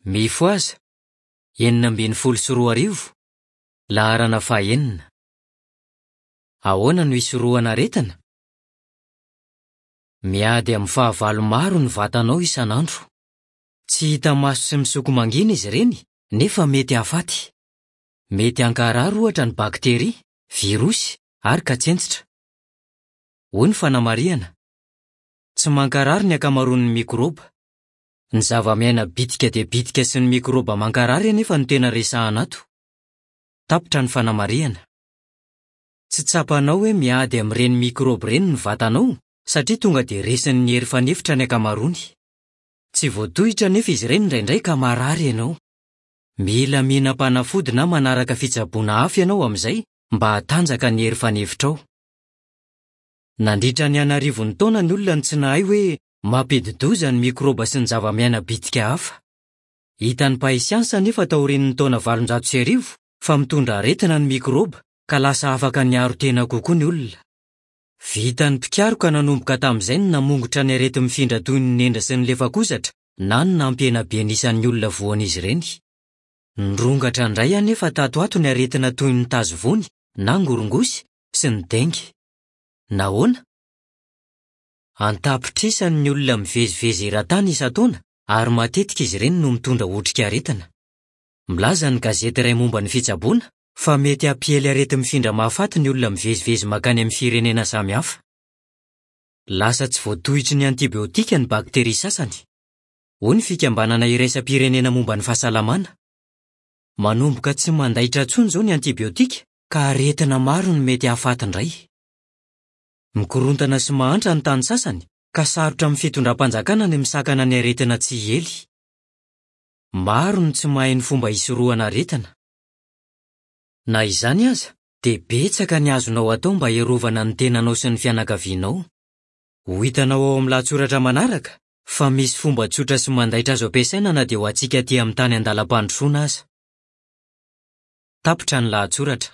Mifohaza! 2016, laharana fahenina. Ahoana no hisorohana aretina? Miady amin'ny fahavalo maro ny vatanao isan'andro. Tsy hita maso sy misoko mangina izy ireny, nefa mety hahafaty. Mety hankarary ohatra ny bakteria, virosy ary katsentsitra. Hoy ny fanamarihana, Tsy mankarary ny ankamaroan'ny mikraoba. Ny zavamiaina bitika dia bitika sy ny mikraoba mankarary anefa no tena resahana ato. Tapitra ny fanamarihana. Tsy tsapanao hoe miady amin'ireny mikraoba ireny ny vatanao satria tonga dia resin'ny hery fanefitra ny ankamaroany. Tsy voatohitra anefa izy ireny indraindray ka marary ianao. Mila mihinam-panafody na manaraka fitsaboana hafa ianao amin'izay mba hatanjaka ny hery fanefitrao. Nandritra ny an'arivony taona ny olona no tsy nahay hoe mampidi-doza ny mikraoba sy ny zavamiaina bitika hafa. Hitan'ny mpahay siansa anefa taorian'ny taona 1800 fa mitondra aretina ny mikraoba ka lasa afaka niaro tena kokoa ny olona. Vitan'ny mpikaroka nanomboka tamin'izay ny namongotra ny areti-mifindra toy ny nendra sy ny lefakozatra na ny nampihena be ny isan'ny olona voan'izy ireny. Nirongatra indray anefa tato ato ny aretina toy ny tazovony na ngorongosy sy ny dengue. Nahoana? An-tapitrisany ny olona mivezivezy eran-tany isan-taona ary matetika izy ireny no mitondra otrikaretina. Milaza ny gazety iray momba ny fitsaboana fa mety hampiely areti-mifindra mahafaty ny olona mivezivezy mankany amin'ny firenena samihafa. Lasa tsy voatohitry ny antibiotika ny bakteria sasany, hoy ny Fikambanana Iraisam-pirenena Momba ny Fahasalamana. Manomboka tsy mandaitra intsony izao ny antibiotika ka aretina maro no mety hahafaty indray. Mikorontana sy mahantra ny tany sasany ka sarotra amin'ny fitondram-panjakana ny misakana ny aretina tsy hiely. Maro ny tsy mahay ny fomba hisorohana aretina. Na izany aza, dia betsaka ny azonao atao mba hiarovana ny tenanao sy ny fianakavianao. Ho hitanao ao amin'ny lahatsoratra manaraka fa misy fomba tsotra sy mandaitra azo ampiasaina na dia ho antsika aty amin'ny tany an-dalam-pandrosoana aza. Tapitra ny lahatsoratra.